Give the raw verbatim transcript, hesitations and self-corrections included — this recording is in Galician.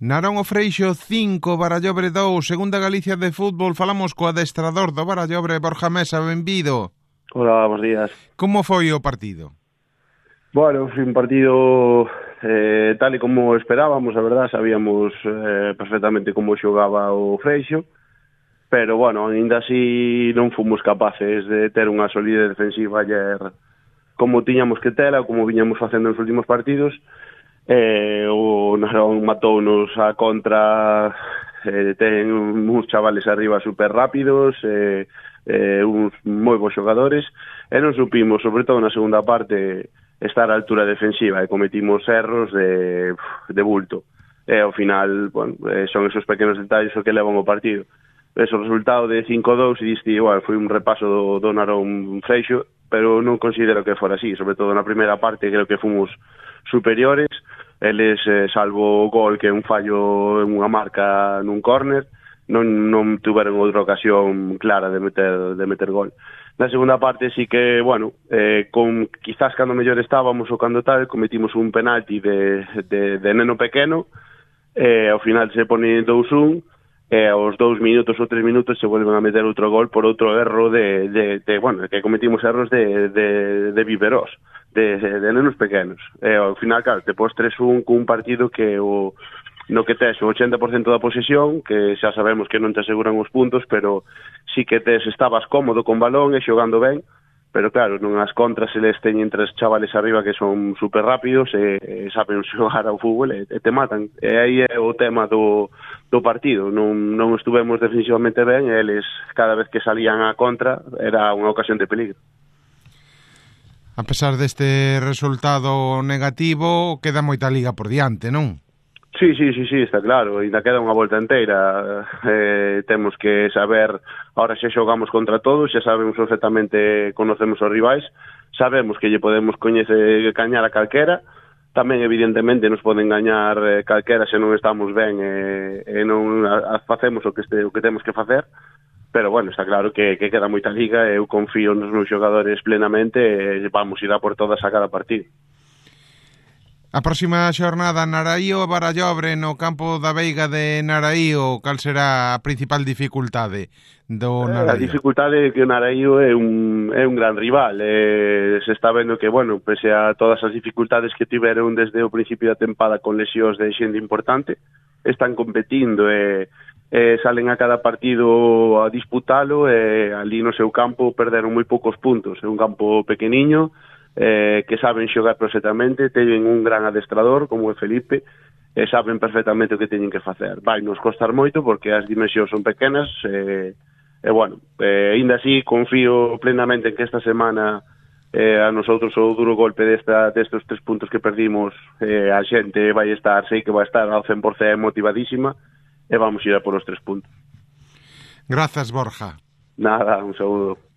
Narón o Freixo cinco, Barallobre dous, Segunda Galicia de fútbol. Falamos co adestrador do Barallobre, Borja Mesa, benvido. Hola, bons días. Como foi o partido? Bueno, foi un partido eh, tal e como esperábamos, a verdad, sabíamos eh, perfectamente como xogaba o Freixo, pero, bueno, ainda así non fomos capaces de ter unha solidez defensiva ayer como tiñamos que tela, como viñamos facendo nos últimos partidos. Eh, o Narón matounos a contra, eh, ten uns chavales arriba super rápidos, eh, eh, uns moi bons xogadores, e non supimos, sobre todo na segunda parte, estar á altura defensiva, e cometimos erros de, de bulto. E ao final, bueno, eh, son esos pequenos detalles o que levan o partido. Ese resultado de cinco dous, e diste, igual, foi un repaso do, do Narón Freixo, pero non considero que fora así, sobre todo na primeira parte creo que fomos superiores. Eles, eh, salvo o gol, que é un fallo en unha marca nun córner, non, non tuveron outra ocasión clara de meter, de meter gol. Na segunda parte sí que, bueno, eh, con, quizás cando mellor estábamos ou cando tal, cometimos un penalti de, de, de neno pequeno, e eh, ao final se pone dous un, e aos dous minutos ou tres minutos se volven a meter outro gol por outro erro de, de, de bueno, que cometimos erros de, de, de biberós, de, de nenos pequenos. E ao final, claro, te pos tres un cun partido que o no que tes o ochenta por cento da posesión, que xa sabemos que non te aseguran os puntos, pero sí que tes, estabas cómodo con balón e xogando ben, pero claro, non as contras eles teñen tres chavales arriba que son super rápidos e, e saben xogar ao fútbol e, e te matan. E aí é o tema do, do partido. Non, non estuvemos defensivamente ben e eles, cada vez que salían a contra, era unha ocasión de peligro. A pesar deste resultado negativo, queda moita liga por diante, non? Sí, sí, sí, sí, está claro, ainda queda unha volta inteira. Eh, temos que saber, ahora xa xogamos contra todos, xa sabemos perfectamente, conocemos os rivais, sabemos que lle podemos coñecer, cañar a calquera, tamén evidentemente nos poden gañar eh, calquera se non estamos ben e, e non a, a facemos o que, este, o que temos que facer, pero bueno, está claro que, que queda moita liga e eu confío nos meus xogadores plenamente e vamos ir a por todas a cada partido. A próxima xornada, Naraío e Barallobre no campo da Veiga de Naraío, cal será a principal dificultade do Naraío? A dificultade é que o Naraío é un, é un gran rival, e se está vendo que, bueno, pese a todas as dificultades que tiveron desde o principio da tempada con lesións de xente importante, están competindo e, e salen a cada partido a disputalo e ali no seu campo perderon moi poucos puntos, é un campo pequeniño, Eh, que saben xogar perfectamente, teñen un gran adestrador como é Felipe e saben perfectamente o que teñen que facer. Vai nos costar moito porque as dimensións son pequenas e, e bueno, eh, ainda así confío plenamente en que esta semana eh, a nosotros o duro golpe desta, destes tres puntos que perdimos, eh, a xente vai estar, sei que vai estar ao cen por cento motivadísima e vamos ir a por os tres puntos. Grazas, Borja. Nada, un saúdo.